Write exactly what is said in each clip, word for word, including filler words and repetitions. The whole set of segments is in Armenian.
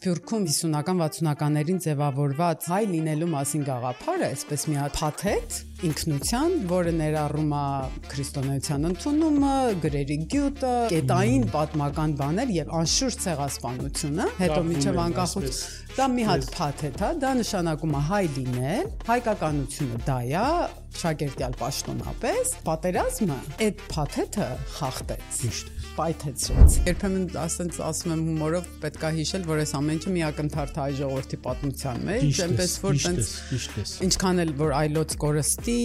Սփյուռքում հիսունական վաթսունականներին ձևավորված հայ լինելու մասին գաղափարը, այսպես մի հատ փաթեթ ինքնության, որը ներառում է քրիստոնեության ընդունումը, գրերի գյուտը, կետային պատմական բաներ եւ անշուշտ ցեղասպանությունը, հետո միջև անկախություն, դա մի հատ փաթեթ է, դա նշանակում է հայ լինել, հայկականությունը դա է, շագերտյալ պաշտոնապես, պատերազմը այդ փաթեթը խախտեց։ Ճիշտ է։ Պայթեցրեց։ Երբեմն ասենց ասում եմ հումորով պետք է հիշել, որ այս ամեն ինչը մի ակնթարթ հայ ժողովրդի պատմության մեջ, այնպես որ տենց ինչքան էլ որ այլոց կորստի,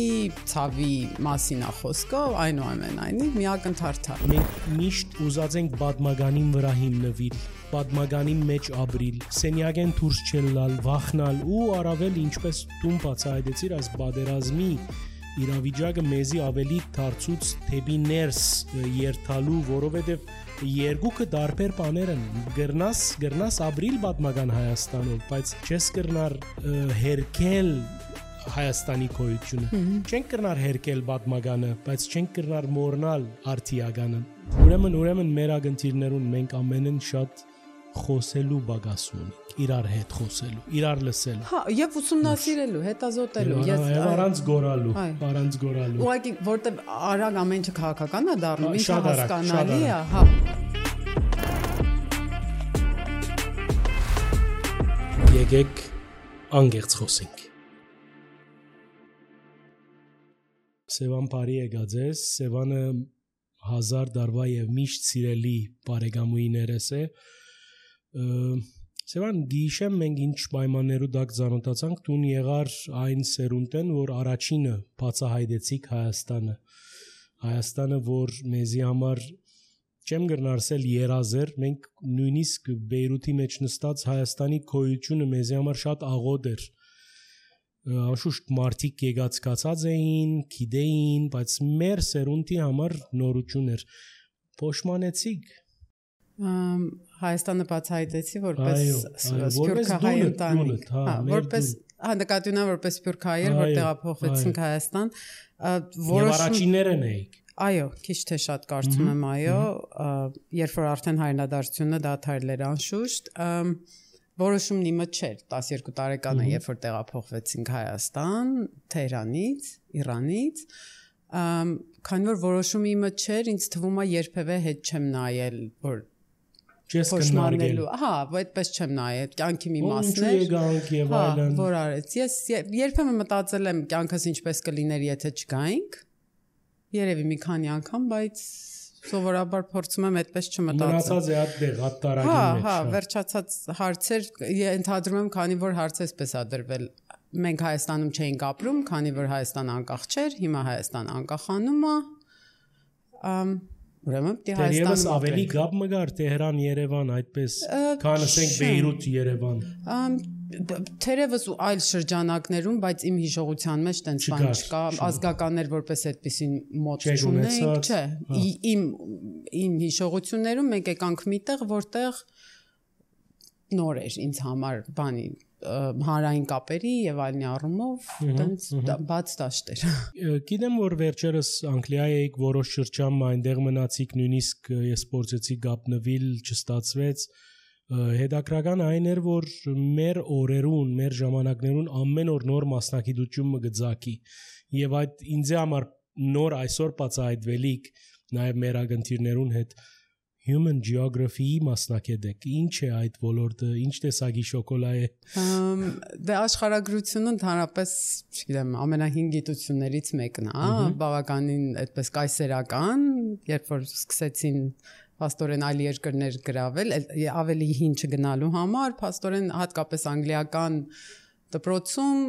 ցավի մասին է խոսքը, այնուամենայնիվ մի ակնթարթ է։ Մենք միշտ ուզած ենք պատմականին վրա հիմնվել, պատմականի մեջ ապրիլ, սենյակեն դուրս չելալ, վախնալ ու առավել ինչպես տուն բացահայտեցիր այս բادرազմի իրավիճակը մեզի ավելի դարձուց թեպի ներս երթալու, որովհետև երկուքը դարբեր բաներ են։ Գրնաս, գրնաս ապրիլ պատմական Հայաստանով, բայց չես կրնար հերքել Հայաստանի գոյությունը։ Չենք կրնար հերքել պատմականը, բայց չենք կրնար մոռնալ արդիականը։ Ուրեմն, ուրեմն մեր ագնտիրներուն մենք ամենն շատ խոսելու բագաս ունենք, իրար հետ խոսելու, իրար լսելու։ Հա, եւ ուսումնասիրելու, հետազոտելու, ես առանց գորալու, առանց գորալու։ Ուղղակի որտեվ արագ ամեն ինչը քաղաքական է դառնում, ինչը հասկանալի է, հա։ Եկեք անգերց խոսենք։ Սևան բարի եկած ես, Սևանը հազար դարվա եւ միշտ սիրելի բարեկամուհիներս է։ Սևան գիշեմ մենք ինչ պայմաններու դակ ծանոթացանք, տուն եղար այն սերունդեն, որ առաջինը բացահայտեցիք Հայաստանը։ Հայաստանը, որ մեզի համար չեմ գրնարսել երազեր, մենք նույնիսկ Բեյրութի մեջ նստած Հայաստանի գոյությունը մեզի համար շատ աղոտ էր։ Անշուշտ մարդիկ եկածկացած էին, գիտեին, բայց մեր սերունդի համար նորություն էր։ Փոշմանեցիք Հայաստանը բացահայտեցի որպես սփյուռքահայ ընտանիք, հա, որպես հա նկատի ունեմ որպես սփյուռքահայ, որ տեղափոխվեցինք Հայաստան, որոշ առաջիններն էիք։ Այո, քիչ թե շատ կարծում եմ, այո, երբ որ արդեն հայրենադարձությունը դադարել էր անշուշտ, որոշումն իմը չէր, տասներկու տարեկան է, երբ որ տեղափոխվեցինք Հայաստան, Թեհրանից, Իրանից, քանի որ որոշումը իմը չէր, ինձ թվում է երբևէ հետ չեմ նայել, որ չես կնարգել։ Հա, այդպես չեմ նայել, կյանքի մի մասն էր։ Ինչու եկանք եւ այլն։ Որ արեց։ Ես երբեմն մտածել եմ կյանքս ինչպես կլիներ, եթե չգայինք։ Երևի մի քանի անգամ, բայց սովորաբար փորձում եմ այդպես չմտածել։ Մնացած է այդտեղ հատտարագի մեջ։ Հա, հա, վերջացած հարցեր, ընդհանրում եմ, քանի որ հարցը էսպես է դրվել։ Մենք Հայաստանում չէինք ապրում, քանի որ Հայաստանը անկախ չէր, հիմա Հայաստանը անկախանում է։ Ուրեմն դե Հայաստանում ավելի գապ մգար Տեհրան Երևան այդպես, քան ասենք Բեյրութ Երևան։ Թերևս ու այլ շրջանակներում, բայց իմ հիշողության մեջ տենց բան չկա, ազգականներ որպես այդպեսին մոտ չունենք, չէ։ Իմ իմ հիշողություններում մենք եկանք միտեղ, որտեղ նոր էր ինձ համար բանի հանրային կապերի եւ այլնի առումով տենց բաց դաշտ էր։ Գիտեմ որ վերջերս Անգլիա եք որոշ շրջան այնտեղ մնացիք, նույնիսկ ես փորձեցի գապնվել, չստացվեց։ Հետաքրական այն էր, որ մեր օրերուն, մեր ժամանակներուն ամեն օր նոր մասնակցություն մգծակի եւ այդ ինձ համար նոր այսօր բացահայտվելիք նաեւ մեր ագնտիրներուն հետ Human Geography-ի մասնակետ եք։ Ինչ է այդ ոլորտը, ինչ տեսակի շոկոլա է։ Դե աշխարհագրությունը ընդհանրապես, չգիտեմ, ամենահին գիտություններից մեկն է, բավականին այդպես կայսերական, երբ որ սկսեցին փաստորեն այլ երկրներ գրավել, ավելի հին չգնալու համար, փաստորեն հատկապես անգլիական դպրոցում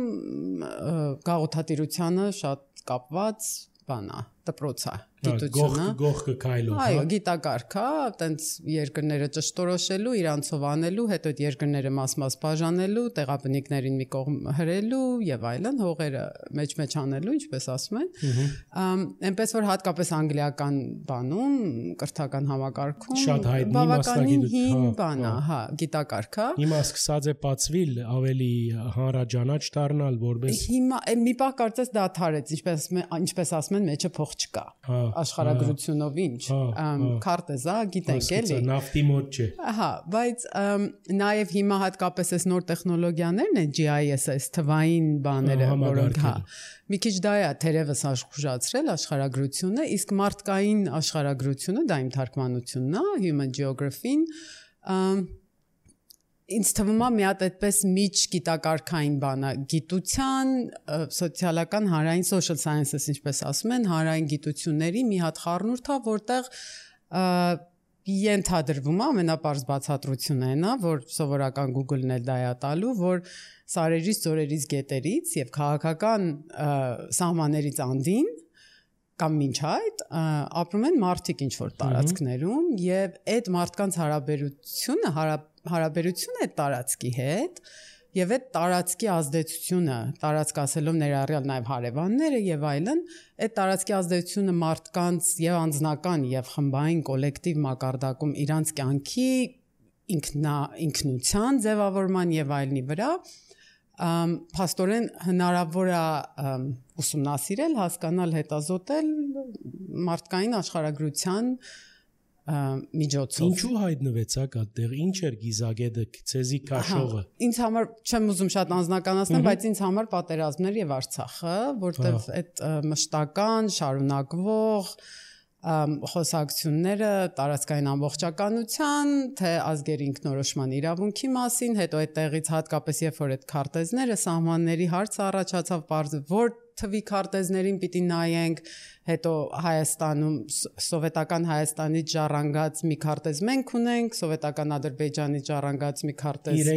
գաղութատիրությանը շատ կապված բան է, դպրոց է, գիտությունը։ Գողքը քայլով, հա։ Այո, գիտակարգ է, տենց երկրները ճշտորոշելու, իրանցով անելու, հետո այդ երկրները մաս-մաս բաժանելու, տեղաբնիկներին մի կողմ հրելու եւ այլն, հողերը մեջ-մեջ անելու, ինչպես ասում են։ Այնպես որ հատկապես անգլիական բանում, կրթական համակարգում շատ հայտնի մասնագիտություն, բան է, հա, գիտակարգ է։ Հիմա սկսած է բացվել ավելի հանրաճանաչ դառնալ, որպես Հիմա մի պահ կարծես դադարեց, ինչպես ինչպես ասում են, մեջը փոխ ամբողջ չկա աշխարհագրությունով ինչ քարտեզ է գիտենք էլի նավթի մոտ չէ ահա բայց նաև հիմա հատկապես այս նոր տեխնոլոգիաներն են G I S S թվային բաները որոնք հա մի քիչ դա է թերևս աշխուժացրել աշխարհագրությունը իսկ մարդկային աշխարհագրությունը դա իմ թարգմանությունն է Human Geography-ն ինձ թվում է մի հատ այդպես միջ գիտակարգային բան է գիտության սոցիալական հանրային social sciences ինչպես ասում են հանրային գիտությունների մի հատ խառնուրդ է որտեղ ենթադրվում է ամենապարզ բացատրությունը այն է որ սովորական Google-ն էլ դա է տալու որ սարերից ծորերից գետերից եւ քաղաքական սահմաններից անդին կամ մինչ այդ ապրում են մարդիկ ինչ որ տարածքներում եւ այդ մարդկանց հարաբերությունը հարաբերությունը այդ տարածքի հետ եւ այդ տարածքի ազդեցությունը տարածք ասելով ներառյալ նաեւ հարևանները եւ այլն այդ տարածքի ազդեցությունը մարդկանց եւ անձնական եւ խմբային կոլեկտիվ մակարդակում իրանց կյանքի ինքնա ինքնության ձևավորման եւ այլնի վրա փաստորեն հնարավոր է ուսումնասիրել, հասկանալ, հետազոտել մարդկային աշխարհագրության միջոցով։ Ինչու հայտնվեցաք այդտեղ, ինչ էր գիզագետը, ցեզի քաշողը։ Ինձ համար չեմ ուզում շատ անձնականացնել, բայց ինձ համար պատերազմներ եւ Արցախը, որտեղ այդ մշտական, շարունակվող խոսակցությունները տարածքային ամբողջականության, թե ազգերի ինքնորոշման իրավունքի մասին, հետո այդտեղից հատկապես երբ որ այդ քարտեզները սահմանների հարցը առաջացավ, բարձր որ թվի քարտեզներին պիտի նայենք, հետո Հայաստանում սովետական Հայաստանից ժառանգած մի քարտեզ մենք ունենք, սովետական Ադրբեջանից ժառանգած մի քարտեզ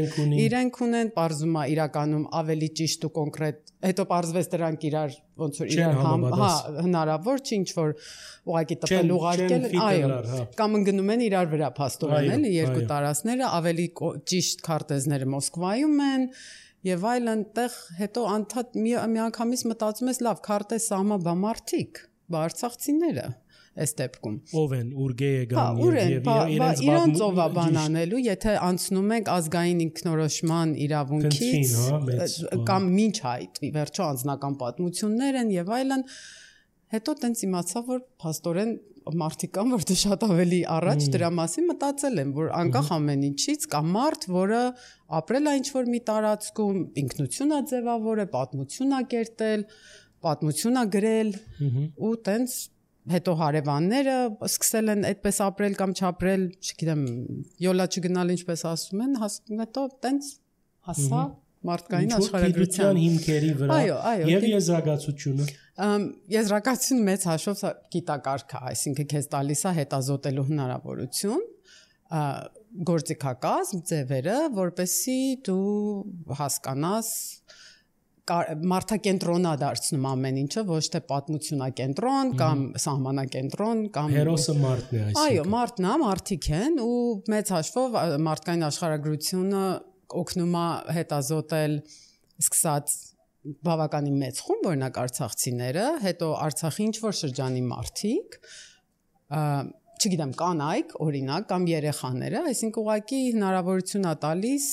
իրենք ունեն, բարձում է իրականում ավելի ճիշտ ու կոնկրետ, հետո բարձվեց դրանք իրար ոնց որ իրար համ, հա, հնարավոր չի ինչ որ ուղղակի տպել ուղարկել, այո, կամ ընկնում են իրար վրա փաստորեն էլի երկու տարածքները, ավելի ճիշտ քարտեզները Մոսկվայում են Եվ այլ այնտեղ հետո անդադ մի անգամից մտածում ես լավ քարտեզ սահմանբա մարդիկ, բարձրացիները այս դեպքում։ Ով են, ուրգե եկան եւ իրենց ով է բան անելու, եթե անցնում ենք ազգային ինքնորոշման իրավունքից կամ մինչ այդ, վերջո անձնական պատմություններ են եւ այլն, հետո տենց իմացա, որ փաստորեն մարդիկ կան, որ դե շատ ավելի առաջ դրա մասին մտածել են, որ անկախ ամեն ինչից կա մարդ, որը ապրել է ինչ-որ մի տարածքում, ինքնություն է ձևավորել, պատմություն է կերտել, պատմություն է գրել ու տենց հետո հարևանները սկսել են այդպես ապրել կամ չապրել, չգիտեմ, յոլա չգնալ ինչպես ասում են, հետո տենց հասա մարդկային աշխարհագրության հիմքերի վրա եւ եզրակացությունը Եզրակացությունը մեծ հաշվով գիտակարգ է, այսինքն քեզ տալիս է հետազոտելու հնարավորություն, գործիքակազմ ձևերը, որպեսզի դու հասկանաս մարդակենտրոնա դարձնում ամեն ինչը, ոչ թե պատմությունակենտրոն կամ սահմանակենտրոն կամ հերոսը մարդն է այսինքն։ Այո, մարդն է, մարդիկ են ու մեծ հաշվով մարդկային աշխարհագրությունը օգնում է հետազոտել սկսած բավականին մեծ խումբ օրինակ արցախցիները, հետո Արցախի ինչ որ շրջանի մարդիկ, չգիտեմ, կանայք, օրինակ, կամ երեխաները, այսինքն ուղղակի հնարավորություն է տալիս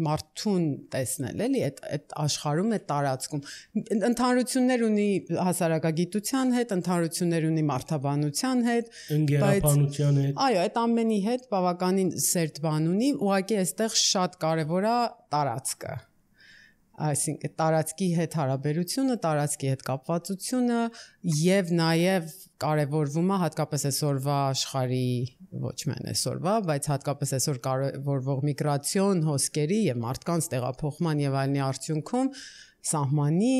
մարդուն տեսնել, էլի, այդ այդ աշխարհում, այդ տարածքում ընդհանրություններ ունի հասարակագիտության հետ, ընդհանրություններ ունի մարդաբանության հետ, ընկերաբանության հետ։ Այո, այդ ամենի հետ բավականին սերտ բան ունի, ուղղակի այստեղ շատ կարևոր է տարածքը։ Այսինքն տարածքի հետ հարաբերությունը, տարածքի հետ կապվածությունը եւ նաեւ կարեւորվում է հատկապես այսօրվա աշխարհի ոչ միայն այսօրվա, բայց հատկապես այսօր կարևորվող միգրացիոն հոսքերի եւ մարդկանց տեղափոխման եւ այլնի արդյունքում սահմանի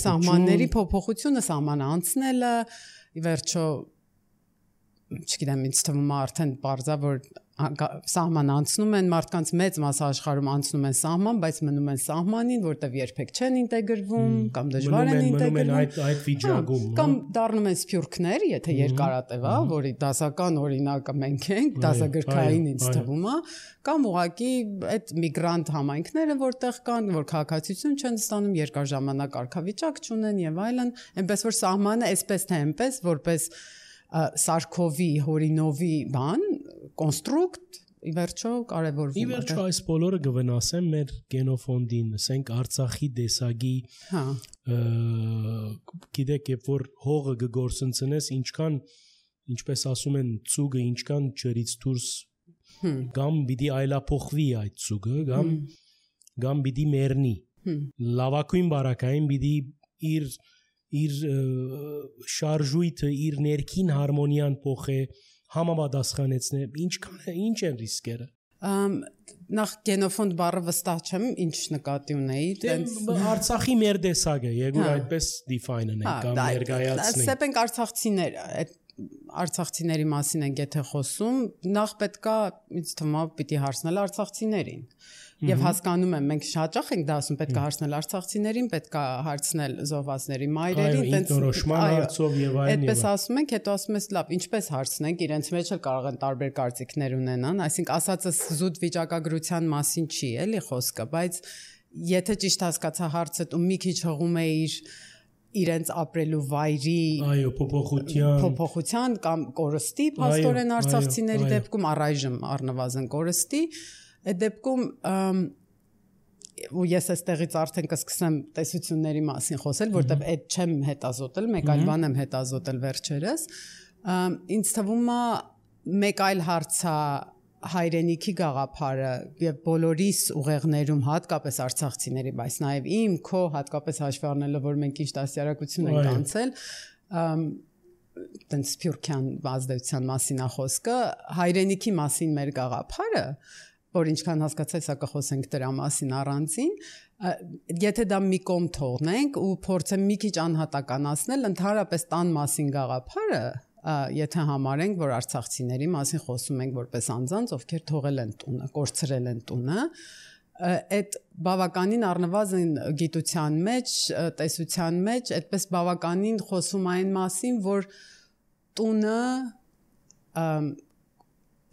սահմանների փոփոխությունը, սահմանը անցնելը, ի վերջո չգիտեմ, ինձ թվում է արդեն բարձա որ սահման անցնում են մարդկանց մեծ մասը աշխարհում անցնում են սահման, բայց մնում են սահմանին, որտեղ երբեք չեն ինտեգրվում կամ դժվար են ինտեգրվում, այդ այդ վիճակում, կամ դառնում են սփյուռքներ, եթե երկարատև է, որի դասական օրինակը մենք ենք, դասագրքային ինձ թվում է, կամ ուղղակի այդ միգրանտ համայնքները, որտեղ կան, որ քաղաքացիություն չեն ստանում, երկար ժամանակ կարգավիճակ չունեն եւ այլն, այնպես որ սահմանը այսպես թե այնպես, որպես Սարքովի, Հորինովի բան, կոնստրուկտ, ի վերջո կարևորվում է։ Ի վերջո այս բոլորը կվնասեն մեր գենոֆոնդին, ասենք Արցախի դեսագի, հա, գիտեք, երբ որ հողը կգործընծնես, ինչքան, ինչպես ասում են, ցուգը ինչքան ջրից դուրս կամ պիտի այլափոխվի այդ ցուգը, կամ կամ պիտի մեռնի։ Լավակույն բարակային պիտի իր իր շարժույթը, իր ներքին հարմոնիան փոխե, համապատասխանեցնե, ինչքան ինչ են ռիսկերը։ Նախ գենոֆոնդ բառը վստահ չեմ, ինչ նկատի ունեի, տենց Արցախի մեր դեսագը, եկուր այդպես define անենք կամ ներկայացնենք։ Սեպենք արցախցիները, այդ արցախցիների մասին ենք եթե խոսում, նախ պետքա ինձ թվում է պիտի հարցնել արցախցիներին։ Եվ հասկանում եմ, մենք հաճախ ենք դա ասում, պետք է հարցնել արցախցիներին, պետք է հարցնել զոհվածների մայրերին, տենց նորոշման հարցով եւ այլն։ Այդպես ասում ենք, հետո ասում ես, լավ, ինչպես հարցնենք, իրենց մեջ էլ կարող են տարբեր կարծիքներ ունենան, այսինքն ասածս զուտ վիճակագրության մասին չի, էլի խոսքը, բայց եթե ճիշտ հասկացա հարցը, ու մի քիչ հղում է իր իրենց ապրելու վայրի այո փոփոխության փոփոխության կամ կորստի փաստորեն արցախցիների դեպքում առայժմ առնվազն կորստի այդ դեպքում ու ես այստեղից արդեն կսկսեմ տեսությունների մասին խոսել, որտեղ այդ չեմ հետազոտել, մեկ այլ բան եմ հետազոտել վերջերս, ինձ թվում է մեկ այլ հարցա հայրենիքի գաղափարը եւ բոլորիս ուղեղներում հատկապես արցախցիների, բայց նաեւ իմ քո հատկապես հաշվի առնելով որ մենք ինչ դասյարակություն ենք անցել, տենց սփյուռքյան ազդեցության մասին է խոսքը, հայրենիքի մասին մեր գաղափարը, որ ինչքան հասկացա, սա կխոսենք դրա մասին առանցին, եթե դա մի կողմ թողնենք ու փորձեմ մի քիչ անհատականացնել, ընդհանրապես տան մասին գաղափարը, եթե համարենք, որ արցախցիների մասին խոսում ենք որպես անձանց, ովքեր թողել են տունը, կորցրել են տունը, այդ բավականին առնվազն գիտության մեջ, տեսության մեջ, այդպես բավականին խոսում այն մասին, որ տունը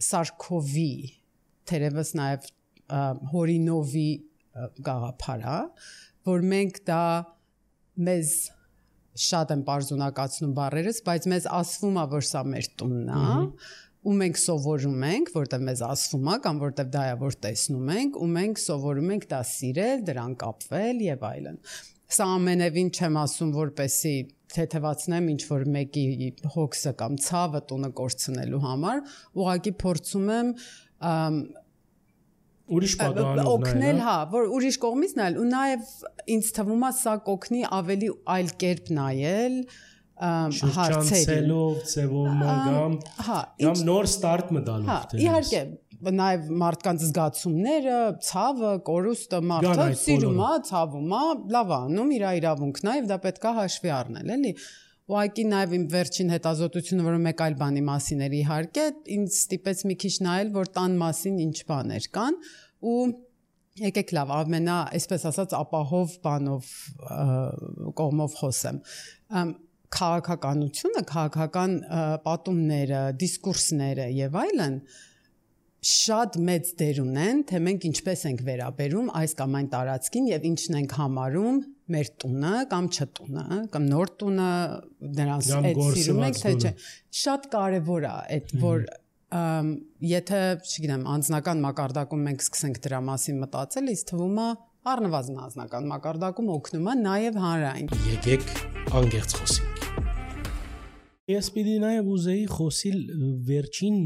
Սարքովի, թերևս նաև Հորինովի գաղափար է, որ մենք դա մեզ շատ են պարզունակացնում բառերս, բայց մեզ ասվում է, որ սա մեր տունն է, ու մենք սովորում ենք, որտեղ մեզ ասվում է կամ որտեղ դա է, որ տեսնում ենք, ու մենք սովորում ենք դա սիրել, դրան կապվել եւ այլն։ Սա ամենևին չեմ ասում, որպեսի թեթևացնեմ ինչ որ մեկի հոգսը կամ ցավը տունը կորցնելու համար, ուղղակի փորձում եմ ուրիշ պատահանով օգնել, հա, որ ուրիշ կողմից նայել ու նաև ինձ թվում է սա կօգնի ավելի այլ կերպ նայել հարցերին, ձևորման կամ կամ նոր ստարտ մտալով։ Հա, իհարկե, նաև մարդկանց զգացումները, ցավը, կորուստը մարդը սիրում է, ցավում է, լավ անում, իր իրավունքն է, եւ դա պետք է հաշվի առնել, էլի։ Ուղղակի նաև իմ վերջին հետազոտությունը, որը մեկ այլ բանի մասին էր իհարկե, ինձ ստիպեց մի քիչ նայել, որ տան մասին ինչ բաներ կան ու եկեք լավ, ամենա, այսպես ասած, ապահով բանով կողմով խոսեմ։ Քաղաքականությունը, քաղաքական պատումները, դիսկուրսները եւ այլն շատ մեծ դեր ունեն, թե մենք ինչպես ենք վերաբերում այս կամ այն տարածքին եւ ինչն ենք համարում մեր տունը կամ չտունը, կամ նոր տունը, նրանց այդ սիրում ենք, թե չէ։ Շատ կարևոր է այդ, որ եթե, չգիտեմ, անձնական մակարդակում մենք սկսենք դրա մասին մտածել, ինձ թվում է առնվազն անձնական մակարդակում օգնում է նաեւ հանրային։ Եկեք անգերց խոսենք։ Ես պիտի նաև ուզեի խոսիլ վերջին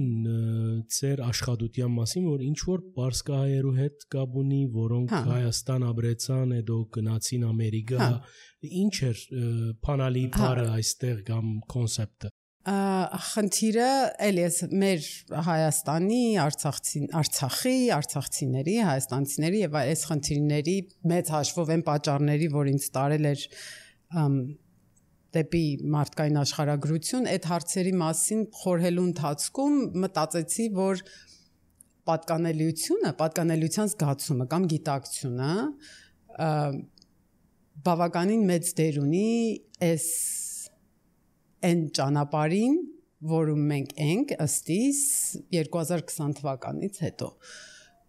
ծեր աշխատության մասին, որ ինչ որ պարսկահայերու հետ կապ ունի, որոնք Հայաստան ապրեցան, հետո գնացին Ամերիկա, ինչ էր փանալի բառը այստեղ կամ կոնցեպտը։ Խնդիրը էլի մեր Հայաստանի, Արցախցի, Արցախի, արցախցիների, հայաստանցիների եւ այս խնդիրների մեծ հաշվով են պատճառների, որ ինձ տարել էր դեպի մարդկային աշխարհագրություն, այդ հարցերի մասին խորհելու ընթացքում մտածեցի, որ պատկանելիությունը, պատկանելիության զգացումը կամ գիտակցությունը բավականին մեծ դեր ունի այս այն ճանապարհին, որում մենք ենք ըստիս երկու հազար քսան թվականից հետո։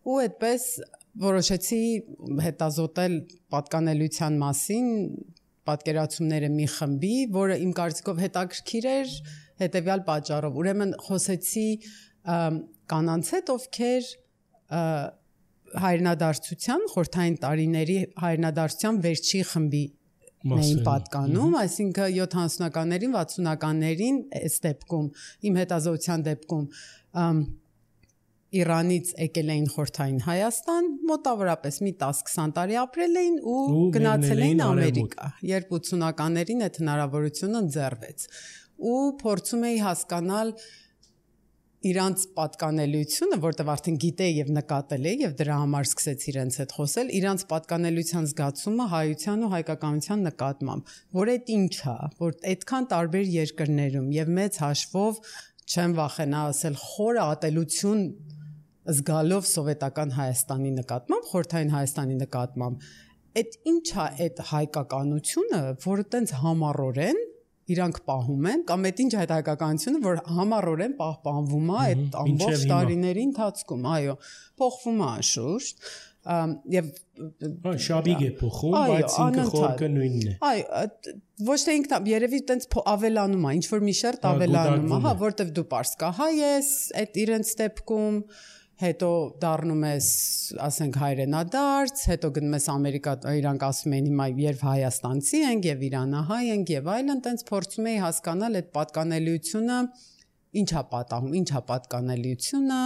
Ու այդպես որոշեցի հետազոտել պատկանելիության մասին պատկերացումները մի խմբի, որը իմ կարծիքով հետաքրքիր էր հետևյալ պատճառով։ Ուրեմն խոսեցի կանանց հետ, ովքեր հայրենադարձության խորհրդային տարիների հայրենադարձության վերջի խմբի էին պատկանում, այսինքն յոթանասունականներին, վաթսունականներին այս դեպքում, իմ հետազոտության դեպքում Իրանից եկել էին խորհրդային Հայաստան, մոտավորապես մի տասը-քսան տարի ապրել էին ու գնացել էին Ամերիկա, երբ ութսունականներին այդ հնարավորությունը ընձեռվեց։ Ու փորձում էի հասկանալ իրանց պատկանելիությունը, որտեղ արդեն գիտեի եւ նկատել էի եւ դրա համար սկսեցի իրենց հետ խոսել, իրանց պատկանելիության զգացումը հայության ու հայկականության նկատմամբ, որ այդ ինչ է, որ այդքան տարբեր երկրներում եւ մեծ հաշվով չեմ վախենա ասել խորը ատելություն զգալով սովետական Հայաստանի նկատմամբ, խորհրդային Հայաստանի նկատմամբ, այդ ինչ է այդ հայկականությունը, որը տենց համառորեն իրանք պահում են, կամ այդ ինչ է այդ հայկականությունը, որ համառորեն պահպանվում է այդ ամբողջ տարիների ընթացքում, այո, փոխվում է անշուշտ, եւ շաբիգ է փոխում, բայց ինքը խորքը նույնն է։ Այո, ոչ թե ինքն երևի տենց ավելանում է, ինչ որ մի շերտ ավելանում է, հա, որտեվ դու պարսկահայ ես, այդ իրենց դեպքում հետո դառնում ես, ասենք, հայրենադարձ, հետո գնում ես Ամերիկա, իրանք ասում են հիմա երբ հայաստանցի ենք եւ իրանահայ ենք եւ այլն, տենց փորձում էի հասկանալ այդ պատկանելիությունը ինչ է պատահում, ինչ է պատկանելիությունը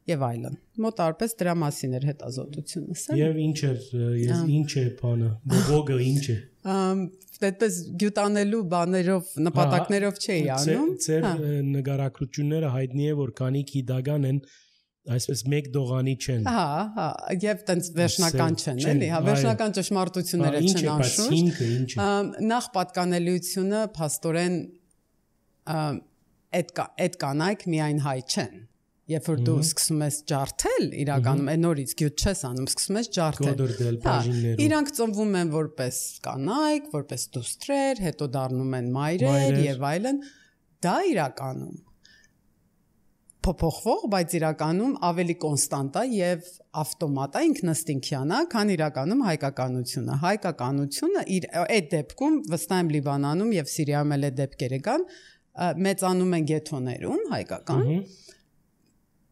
եւ այլն։ Մոտարպես դրա մասին էր հետազոտությունս։ Եվ ինչ է, ինչ է բանը, բողոքը ինչ է։ Այդպես գյուտանելու բաներով, նպատակներով չէի անում։ Ձեր նկարագրությունները հայտնի է, որ քանի գիտական են այսպես մեկ դողանի չեն։ Հա, հա, եւ տենց վերջնական չեն, էլի, հա, վերջնական ճշմարտությունները չեն անշուշտ։ Նախ պատկանելիությունը փաստորեն այդ այդ կանայք միայն հայ չեն։ Երբ որ դու սկսում ես ջարդել, իրականում այն նորից գյուտ չես անում, սկսում ես ջարդել։ Իրանք ծնվում են որպես կանայք, որպես դուստրեր, հետո դառնում են մայրեր եւ այլն։ Դա իրականում փոփոխվող, բայց իրականում ավելի կոնստանտ է եւ ավտոմատ է, ինքնըստինքյան է, քան իրականում հայկականությունը։ Հայկականությունը իր այդ դեպքում վստահ եմ Լիբանանում եւ Սիրիայում էլ այդ դեպքերը կան, մեծանում են գեթոներում հայկական։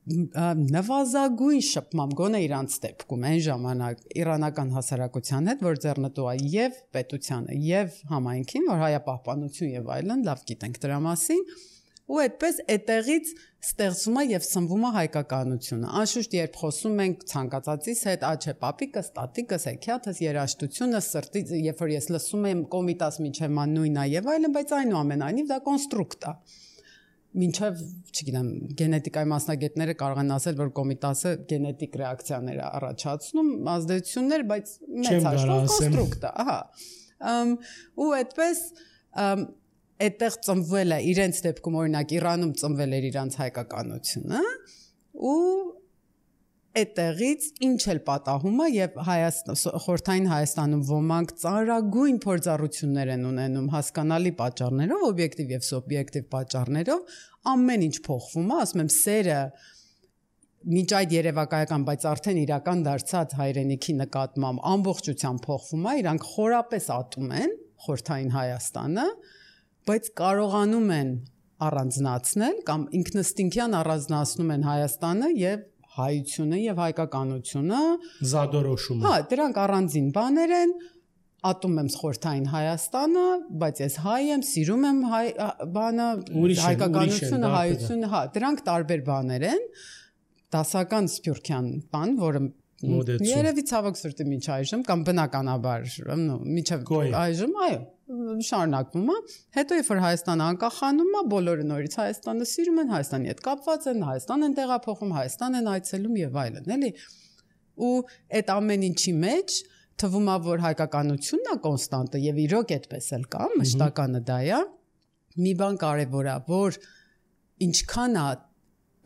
Նվազագույն շփմամբ գոնե իրանց դեպքում այն ժամանակ իրանական հասարակության հետ, որ ձեռնտու է եւ պետությանը եւ համայնքին, որ հայապահպանություն եւ այլն, լավ գիտենք դրա մասին, ու այդպես այդտեղից ստեղծվում է եւ սնվում է հայկականությունը։ Անշուշտ երբ խոսում ենք ցանկացածից հետ, ա չէ, պապիկս, տատիկս, հեքիաթս, երաժշտությունը, սրտից, երբ որ ես լսում եմ կոմիտաս միջև ման նույնն է եւ այլն, բայց այնուամենայնիվ դա կոնստրուկտ է։ Մինչև, չգիտեմ, գենետիկայի մասնագետները կարող են ասել, որ կոմիտասը գենետիկ ռեակցիաներ է առաջացնում, ազդեցություններ, բայց մեծ հաշվով կոնստրուկտ է, ահա։ Ու այդպես այդտեղ ծնվել է իրենց դեպքում օրինակ Իրանում ծնվել էր իրանց հայկականությունը ու այդտեղից ինչ էլ պատահում է եւ Հայաստան խորհրդային Հայաստանում ոմանք ծանրագույն փորձառություններ են ունենում հասկանալի պատճառներով, օբյեկտիվ եւ սուբյեկտիվ պատճառներով, ամեն ինչ փոխվում է, ասում եմ, սերը միջ այդ երևակայական, բայց արդեն իրական դարձած հայրենիքի նկատմամբ ամբողջությամբ փոխվում է, իրանք խորապես ատում են խորհրդային Հայաստանը, բայց կարողանում են առանձնացնել կամ ինքնըստինքյան առանձնացնում են Հայաստանը եւ հայությունը եւ հայկականությունը զադորոշումը։ Հա, դրանք առանձին բաներ են, ատում եմ խորհրդային Հայաստանը, բայց ես հայ եմ, սիրում եմ հայ բանը, հայկականությունը, հայությունը, հա, դրանք տարբեր բաներ են, դասական սփյուռքյան բան, որը երևի ցավոք սրտի միջ այժմ կամ բնականաբար, նո, միջև այժմ, այո, շարունակվում է։ Հետո երբ որ Հայաստանը անկախանում է, բոլորը նորից Հայաստանը սիրում են, Հայաստանի հետ կապված են, Հայաստան են տեղափոխում, Հայաստան են այցելում եւ այլն, էլի։ Ու այդ ամեն ինչի մեջ թվում է, որ հայկականությունն է կոնստանտը եւ իրոք այդպես էլ կա, մշտականը դա է։ Մի բան կարեւոր է, որ ինչքան է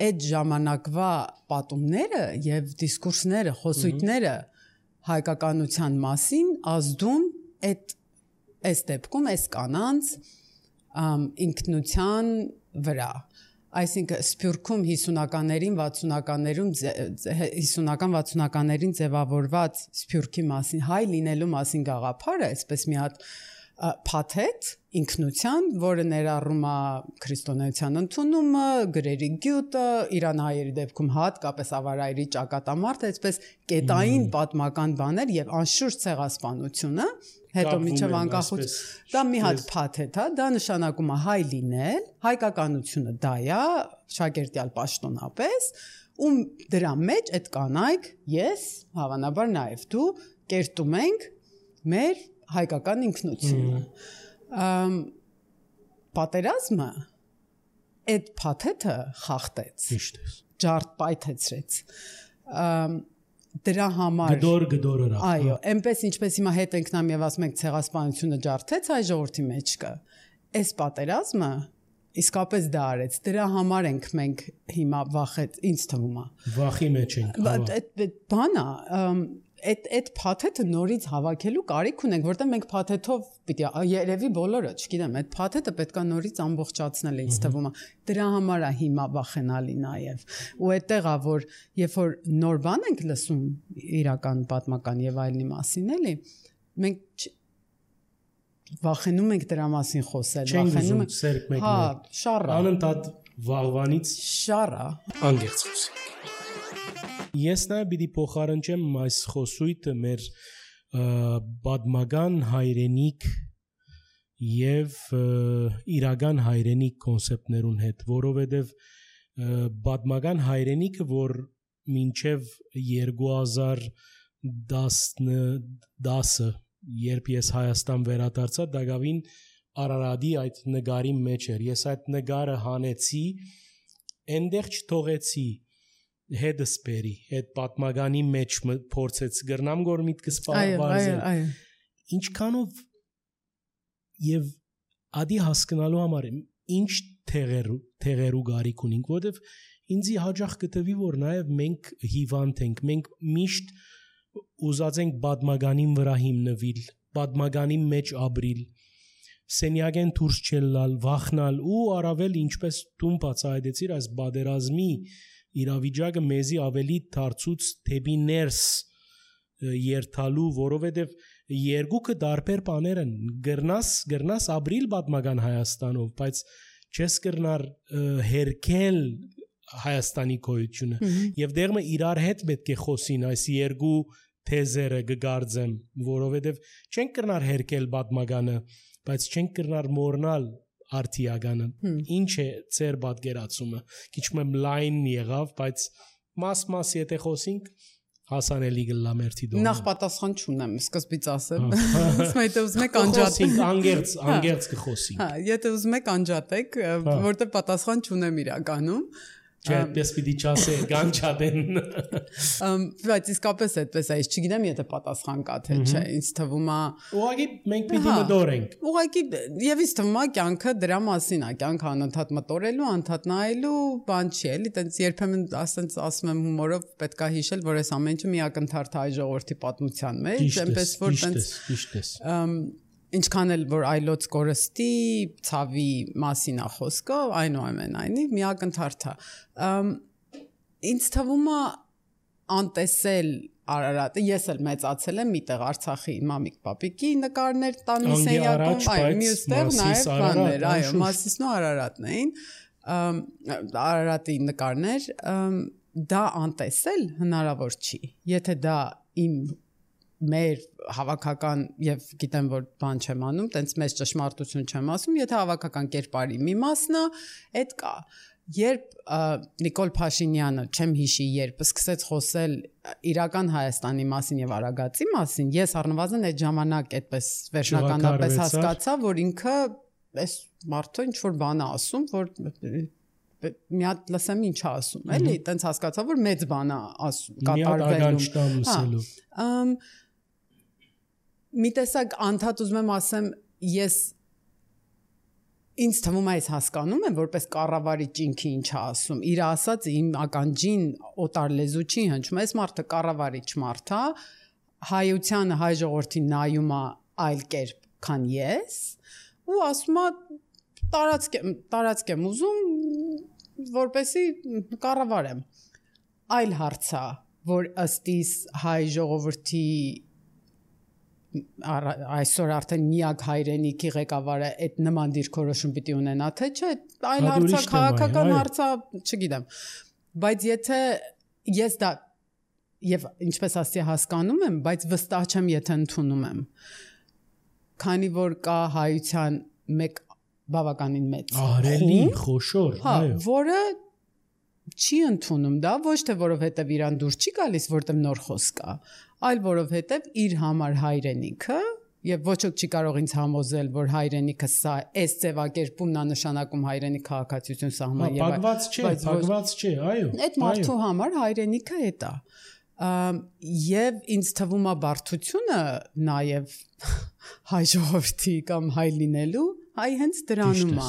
այդ ժամանակվա պատումները եւ դիսկուրսները, խոսույթները հայկականության մասին ազդում այդ այս դեպքում այս կանանց ինքնության վրա, այսինքն Սփյուռքում հիսունականներին, վաթսունականներում հիսունական վաթսունականներին ձևավորված Սփյուռքի մասին հայ լինելու մասին գաղափարը, այսպես մի հատ փաթեթ ինքնության, որը ներառում է քրիստոնեության ընդունումը, գրերի գյուտը, իրանահայերի դեպքում հատկապես ավարայրի ճակատամարտը, այսպես կետային պատմական բաներ եւ անշուշտ ցեղասպանությունը, հետո միջև անկախություն, դա մի հատ փաթեթ է, դա նշանակում է հայ լինել, հայկականությունը դա է, շագերտյալ պաշտոնապես, ու դրա մեջ այդ կանայք, ես, հավանաբար նաեւ դու կերտում ենք մեր հայկական ինքնությունը։ Պատերազմը այդ փաթեթը խախտեց, ջարդ պայթեցրեց, դրա համար գդոր գդորը ռավ, այո, այնպես ինչպես հիմա հետ ենք նամ եւ ասում ենք ցեղասպանությունը ջարդեց հայ ժողովրդի մեջ կա, այս պատերազմը իսկապես դա արեց, դրա համար ենք մենք հիմա վախեց, ինձ թվում է վախի մեջ ենք, այդ բանա Այդ այդ փաթեթը նորից հավաքելու կարիք ունենք, որտեղ մենք փաթեթով պիտի երևի բոլորը, չգիտեմ, այդ փաթեթը պետքա նորից ամբողջացնել ինձ թվում է։ Դրա համար է հիմա վախենալի նաև։ Ու այդտեղ է, որ երբ որ նոր բան ենք լսում իրական պատմական եւ այլնի մասին, էլի, մենք վախենում ենք դրա մասին խոսել, վախենում ենք սերկ մեկներ։ Հա, շառա։ Անընդհատ վաղվանից շառա։ Անգերց խոսենք։ Ես նաև պիտի փոխարինեմ այս խոսույթը մեր պատմական հայրենիք եւ իրական հայրենիք կոնցեպտներուն հետ, որովհետեւ պատմական հայրենիքը, որ մինչեւ երկու հազար դասը, երբ ես Հայաստան վերադարձա, դակավին Արարատի այդ նկարի մեջ էր։ Ես այդ նկարը հանեցի, այնտեղ չթողեցի հետս բերի, այդ պատմականի մեջ փորձեց գրնամ գոր միտքս բարձել, ինչքանով և ադի հասկնալու համար ինչ թեղերու գարիք ունենք, որտև ինձի հաջախ կտվի, որ նաև մենք հիվանդ ենք, մենք միշտ ուզած ենք պատմականին վրա հիմնվիլ, պատմականի մեջ ապրիլ, սենյակեն դուրս չելալ, վախնալ ու առավել ինչպես դու բացահայտեցիր այս պատերազմի իրավիճակը մեզի ավելի դարձուց թեպի ներս երթալու, որովհետև երկուքը դարբեր բաներ են, գրնաս, գրնաս ապրիլ պատմական Հայաստանով, բայց չես կրնար հերքել Հայաստանի գոյությունը, եւ դեղը իրար հետ պետք է խոսին այս երկու թեզերը կգարձեմ, որովհետև չենք կրնար հերքել պատմականը, բայց չենք կրնար մոռնալ արտիագանը, ինչ է ծեր պատկերացումը, քիչ մեմ լայն եղավ, բայց մաս-մաս եթե խոսենք, հասանելի գլա մերթի դոմը։ Նախ պատասխան չունեմ, սկզբից ասեմ, ասում եթե ուզում եք անջատենք, անգերց, անգերց կխոսենք։ Հա, եթե ուզում եք անջատեք, որտեղ պատասխան չունեմ իրականում, Չէ, այդպես պիտի չասե, գանչադեն։ Բայց իսկապես այդպես է, ես չգիտեմ, եթե պատասխան կա թե չէ, ինձ թվում է։ Ուղղակի մենք պիտի մտորենք։ Ուղղակի եւ ինձ թվում է կյանքը դրա մասին է, կյանքը անընդհատ մտորելու, անընդհատ նայելու բան չի, էլի, տենց երբեմն ասենց ասում եմ հումորով պետքա հիշել, որ այս ամեն ինչը մի ակնթարթ հայ ժողովրդի պատմության մեջ, այնպես որ տենց ճիշտ է։ Ինչքան էլ որ այլոց կորստի ցավի մասին է խոսքը, այնուամենայնիվ մի ակնթարթ է։ Ինձ թվում է անտեսել Արարատը, ես էլ մեծացել եմ միտեղ Արցախի մամիկ պապիկի նկարներ տանի սենյակում, այո, մյուստեղ նաև բաներ, այո, Մասիսն ու Արարատն էին, Արարատի նկարներ, դա անտեսել հնարավոր չի, եթե դա իմ մեր հավաքական եւ գիտեմ որ բան չեմ անում, տենց մեծ ճշմարտություն չեմ ասում, եթե հավաքական կերպարի մի մասն է, այդ կա։ Երբ Նիկոլ Փաշինյանը, չեմ հիշի, երբ սկսեց խոսել իրական Հայաստանի մասին եւ Արագածի մասին, ես առնվազն այդ ժամանակ այդպես վերջնականապես հասկացա, որ ինքը այս մարդը ինչ որ բան է ասում, որ մի հատ լսեմ ինչ է ասում, էլի, տենց հասկացա, որ մեծ բան է ասում, կատարվելու։ Մի տեսակ անդադ ուզում եմ ասեմ, ես ինձ թվում է ես հասկանում եմ, որպես կառավարիչ ինքը ինչ է ասում, իր ասած իմ ականջին օտար լեզու չի հնչում, այս մարդը կառավարիչ մարդ է, հայությանը հայ ժողովրդին նայում է այլ կերպ, քան ես, ու ասում է տարածք տարածք եմ ուզում, որպեսի կառավարեմ։ Այլ հարց է, որ ըստ իս հայ ժողովրդի այսօր արդեն միակ հայրենիքի ղեկավարը այդ նման դիրքորոշում պիտի ունենա, թե չէ, այլ հարցա, քաղաքական հարցա, չգիտեմ։ Բայց եթե ես դա եւ ինչպես ասի հասկանում եմ, բայց վստահ չեմ, եթե ընդունում եմ։ Քանի որ կա հայության մեկ բավականին մեծ ահրելի, խոշոր, այո, որը չի ընդունում դա, ոչ թե որովհետև իրան դուր չի գալիս, որտեղ նոր խոսք կա, այլ որովհետև իր համար հայրենիքը, եւ ոչ ոք չի կարող ինձ համոզել, որ հայրենիքը սա այս ձևակերպումն է նշանակում հայրենի քաղաքացիություն սահման եւ բաղված չէ, բաղված չէ, այո։ Այդ մարդու համար հայրենիքը է դա։ Եվ ինձ թվում է բարդությունը նաեւ հայ ժողովրդի կամ հայ լինելու, հայ հենց դրանում է։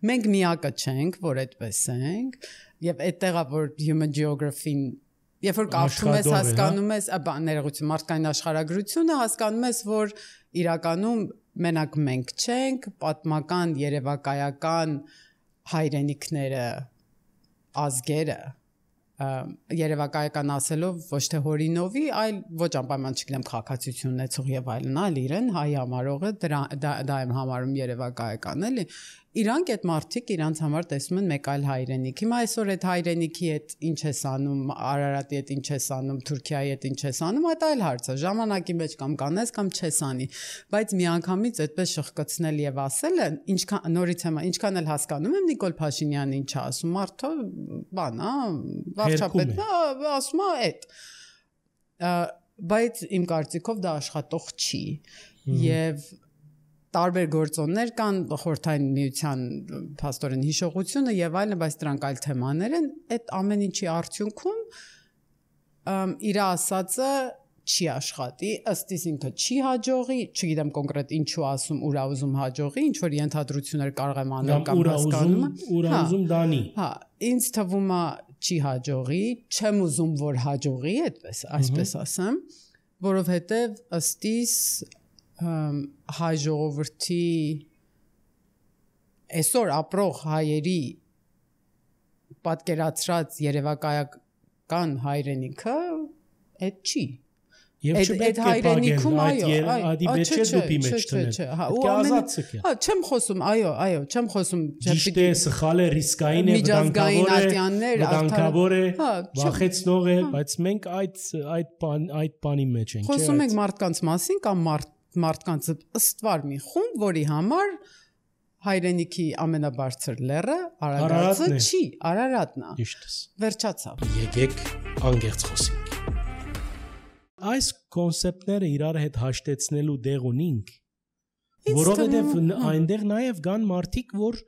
Մենք միակը չենք, որ այդպես ենք, եւ այդտեղա որ human geography-ն երբ որ կարդում ես, հասկանում ես, ներողություն, մարդկային աշխարհագրությունը, հասկանում ես, որ իրականում մենակ մենք չենք, պատմական, երևակայական հայրենիքները, ազգերը, երևակայական ասելով ոչ թե հորինովի, այլ ոչ անպայման չգիտեմ քաղաքացիություն ունեցող եւ այլն, այլ իրեն հայ համարողը դա եմ համարում երևակայական, էլի։ Իրանք այդ մարդիկ իրանց համար տեսնում են մեկ այլ հայրենիք։ Հիմա այսօր այդ հայրենիքի հետ ինչ ես անում, Արարատի հետ ինչ ես անում, Թուրքիայի հետ ինչ ես անում, այդ այլ հարց է։ Ժամանակի մեջ կամ կանես կամ չես անի։ Բայց միանգամից այդպես շխկացնել եւ ասելը, ինչքան նորից եմ, ինչքան էլ հասկանում եմ Նիկոլ Փաշինյանը ինչ է ասում, մարդը բան, հա, վարչապետն է, ասում է այդ։ Բայց իմ կարծիքով դա աշխատող չի։ Եվ տարբեր գործոններ կան, խորհրդային միության փաստորեն հիշողությունը եւ այլն, բայց դրանք այլ թեմաներ են, այդ ամեն ինչի արդյունքում իր ասածը չի աշխատի, ըստ իս ինքը չի հաջողի, չգիտեմ կոնկրետ ինչու ասում, ուրա ուզում հաջողի, ինչ որ ենթադրություններ կարող եմ անել կամ հասկանում եմ, ուրա ուզում դանի։ Հա, ինձ թվում է չի հաջողի, չեմ ուզում որ հաջողի, այդպես, այսպես ասեմ, որովհետեւ ըստ իս հայ ժողովրդի այսօր ապրող հայերի պատկերացրած երևակայական հայրենիքը այդ չի։ Եվ չպետք է պագեն այդ ադիբեչե դուպի մեջ տնել։ Պետք է ազատ ցկել։ Հա, չեմ խոսում, այո, այո, չեմ խոսում, ճիշտ է, սխալ է, ռիսկային է, վտանգավոր է, վախեցնող է, բայց մենք այդ այդ այդ բանի մեջ ենք, չէ՞։ Խոսում ենք մարդկանց մասին կամ մարդ մարդկանց ըստվար մի խումբ, որի համար հայրենիքի ամենաբարձր լեռը Արարատը չի, Արարատն է։ Ճիշտ է։ Վերջացավ։ Եկեք անգերց խոսենք։ Այս կոնցեպտները իրար հետ հաշտեցնելու դեղ ունինք, որովհետև այնտեղ նաև կան մարդիկ, որ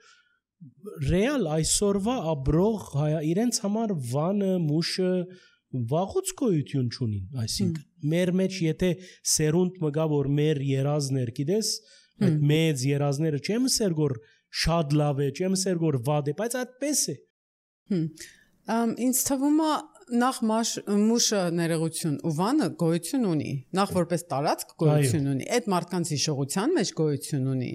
ռեալ այսօրվա ապրող իրենց համար վանը, մուշը վաղուց գոյություն չունին, այսինքն մեր մեջ եթե սերունդ մգա որ մեր երազներ, գիտես, այդ մեծ երազները չեմ ասեր որ շատ լավ է, չեմ ասեր որ վատ է, բայց այդպես է։ Ինձ թվում է նախ մուշը ներողություն ու վանը գոյություն ունի, նախ որպես տարածք գոյություն ունի, այդ մարդկանց հիշողության մեջ գոյություն ունի։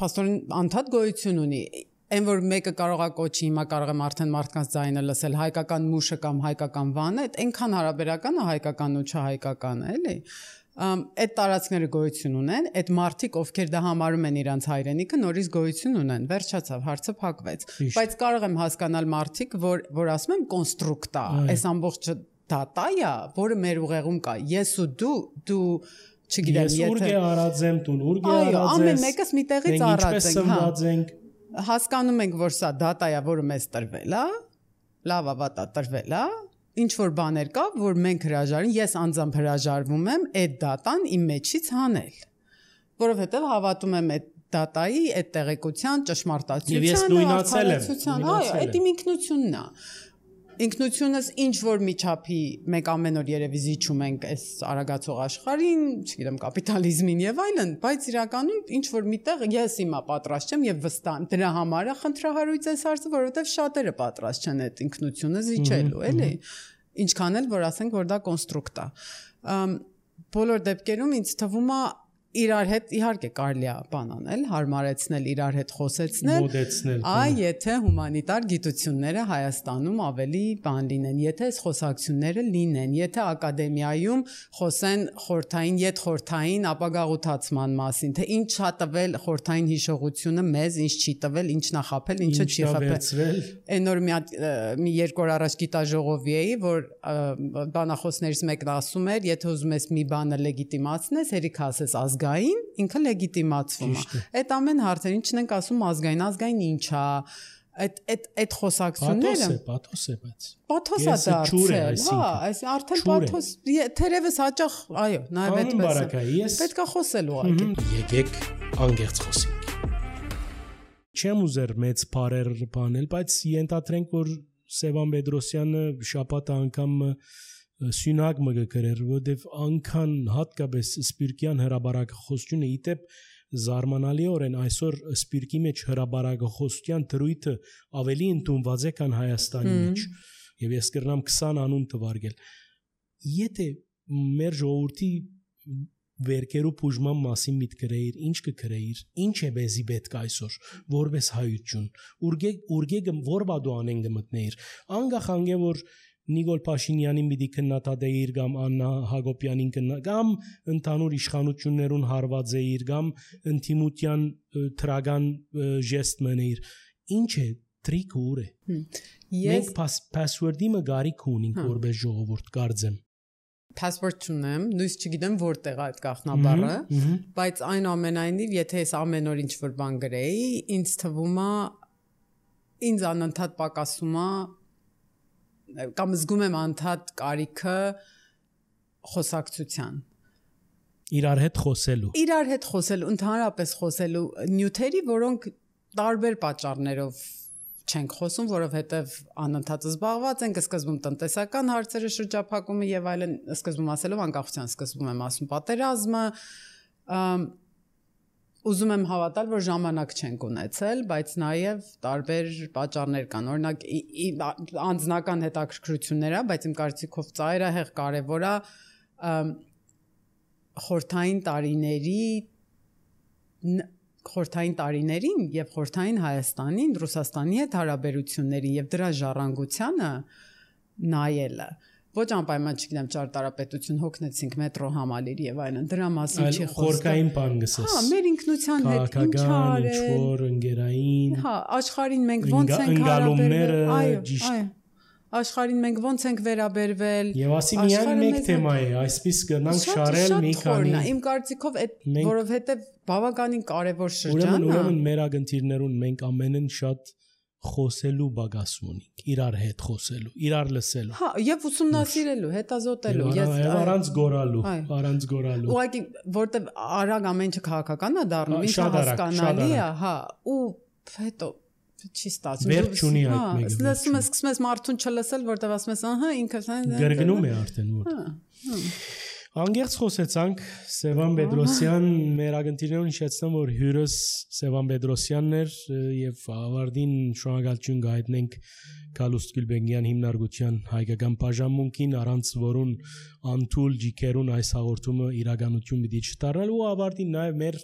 Պաստորին անդադ գոյություն ունի։ Այն որ մեկը կարող է կոչի, հիմա կարող եմ արդեն մարդկանց ձայնը լսել, հայկական մուշը կամ հայկական վանը, այդ այնքան հարաբերական է հայկական ու չհայկականը, էլի։ Այդ տարածքները գոյություն ունեն, այդ մարդիկ, ովքեր դա համարում են իրանց հայրենիքը, նորից գոյություն ունեն, վերջացավ, հարցը փակվեց։ Բայց կարող եմ հասկանալ մարդիկ, որ որ ասում եմ կոնստրուկտ է, այս ամբողջը դատա է, որը մեր ուղեղում կա։ Ես ու դու, դու չգիտեմ, եթե ես ուրգե արած եմ, դու ուրգե արած ես։ Այո, ամեն մեկս մի տեղից առած ենք, հա։ Հասկանում ենք, որ սա դատա է, որը մեզ տրվել է, լավ ավատա տրվել է, ինչ որ բաներ կա, որ մենք հրաժարին, ես անձամբ հրաժարվում եմ այդ դատան իմ մեջից հանել, որովհետև հավատում եմ այդ դատայի, այդ տեղեկության, ճշմարտացիությանը, արդարացության, այո, այդ իմ ինքնությունն է։ Ինքնությունս ինչ որ միջափի մենք ամեն օր երևի զիջում ենք այս արագացող աշխարհին, չգիտեմ, կապիտալիզմին եւ այլն, բայց իրականում ինչ որ միտեղ ես հիմա պատրաստ չեմ եւ վստահ եմ դրա համար է խնդրահարույց այս հարցը, որովհետեւ շատերը պատրաստ չեն այդ ինքնությունը զիջելու, էլի։ Ինչքան էլ որ ասենք որ դա կոնստրուկտ է։ Բոլոր դեպքերում ինձ թվում է իրար հետ իհարկե կարելի է բան անել, հարմարեցնել, իրար հետ խոսեցնել, մոդեցնել։ Այ եթե հումանիտար գիտությունները Հայաստանում ավելի բան լինեն, եթե այս խոսակցությունները լինեն, եթե ակադեմիայում խոսեն խորթային, յետ խորթային ապագաղութացման մասին, թե ինչ չա տվել խորթային հիշողությունը մեզ, ինչ չի տվել, ինչ նախապել, ինչը չի խփել։ Այնօր մի մի երկու օր առաջ գիտաժողովի էի, որ բանախոսներից մեկն ասում էր, եթե ուզում ես մի բանը լեգիտիմացնես, հերիք ասես ազգային, ինքը լեգիտիմացվում է։ Այդ ամեն հարցեր, ինչն ենք ասում ազգային, ազգային ինչ է, այդ այդ այդ խոսակցությունները Պաթոս է, բայց Պաթոս է դարձել, հա, այս արդեն պաթոս, թերևս հաճախ, այո, նաև այդպես է։ Պետք է խոսել ուղղակի։ Եկեք անգերց խոսենք։ Չեմ ուզեր մեծ բարեր բանել, բայց ենթադրենք, որ Սևան Պետրոսյանը շաբաթ անգամ սյունակ մը գրեր, որովհետև անկան հատկապես սպիրկյան հրաբարակախոսությունը իտեպ զարմանալիորեն այսօր սպիրկի մեջ հրաբարակախոսության դրույթը ավելի ընդունված է քան Հայաստանի մեջ եւ ես կրնամ քսան անուն տվարգել եթե մեր ժողովրդի վերկերու բուժման մասին միտ գրեիր ինչ կգրեիր ինչ է բեզի պետք այսօր որպես հայություն ուրգե ուրգե որ բադու անեն գմտնեիր անգախ անգե որ Նիկոլ Փաշինյանին պիտի քննադատեիր կամ Աննա Հակոբյանին կամ ընդհանուր իշխանություններուն հարված էիր կամ ինտիմության թրագան ժեստ մներ ինչ է տրիկը ուր է մենք password-ի մը գարիք ունենք որպես ժողովուրդ կարծեմ Passport չունեմ, նույնիսկ չգիտեմ որտեղ է այդ գաղտնաբառը, բայց այնուամենայնիվ եթե ես ամեն օր ինչ-որ բան գրեի, ինձ թվում է ինձ անընդհատ պակասում է կամ զգում եմ անդադ կարիքը խոսակցության իրար հետ խոսելու իրար հետ խոսելու ընդհանրապես խոսելու նյութերի որոնք տարբեր պատճառներով չենք խոսում որովհետև անընդհատ զբաղված ենք սկզբում տնտեսական հարցերը շրջափակումը եւ այլն սկզբում ասելով անկախության սկզբում եմ ասում պատերազմը Ուզում եմ հավատալ, որ ժամանակ չենք ունեցել, բայց նաև տարբեր պատճառներ կան։ Օրինակ անձնական հետաքրքրություններ է, բայց իմ կարծիքով ծայրահեղ կարևոր է խորթային տարիների խորթային տարիներին եւ խորթային Հայաստանին, Ռուսաստանի հետ հարաբերություններին եւ դրա ժառանգությանը նայելը Ոչ անպայման չգիտեմ ճարտարապետություն հոգնեցինք մետրո համալիր եւ այլն դրա մասին չի խոսքը խորքային բան գսես Հա մեր ինքնության հետ ինչ արել ինչ-որ ընկերային Հա աշխարհին մենք ոնց ենք հարաբերվել այո աշխարհին մենք ոնց ենք վերաբերվել Եվ ասի միայն մեկ թեմա է այսպես կնանք շարել մի քանի Իմ կարծիքով այդ որովհետեւ բավականին կարեւոր շրջան է Ուրեմն մեր ագընթիրներուն մենք ամենն շատ խոսելու բագաս ունենք իրար հետ խոսելու իրար լսելու հա եւ ուսումնասիրելու հետազոտելու ես առանց գորալու առանց գորալու ուղղակի որտեվ արագ ամեն ինչը քաղաքական է դառնում ինքը հասկանալի է հա ու հետո չի ստացվում վերջ ունի այդ մեկը լսում ես սկսում ես մարդուն չլսել որտեվ ասում ես ահա ինքը գրգնում է արդեն որ Անգերց խոսեցանք Սևան Պետրոսյան մեր ագընթիրներուն հիշեցնեմ որ հյուրս Սևան Պետրոսյանն էր եւ ավարտին շնորհակալություն գայտնենք Գալուստ Գյուլբենգյան հիմնարկության հայկական բաժանմունքին առանց որուն անթուլ ջիկերուն այս հաղորդումը իրականություն պիտի չդառնալ ու ավարտին նաեւ մեր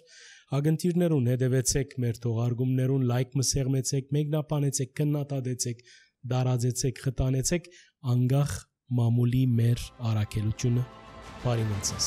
ագընթիրներուն հետևեցեք մեր թողարկումներուն լայք մսեղմեցեք մեկնաբանեցեք քննադատեցեք դարաձեցեք խտանեցեք անգախ մամուլի մեր առաքելությունը Բարի մնացես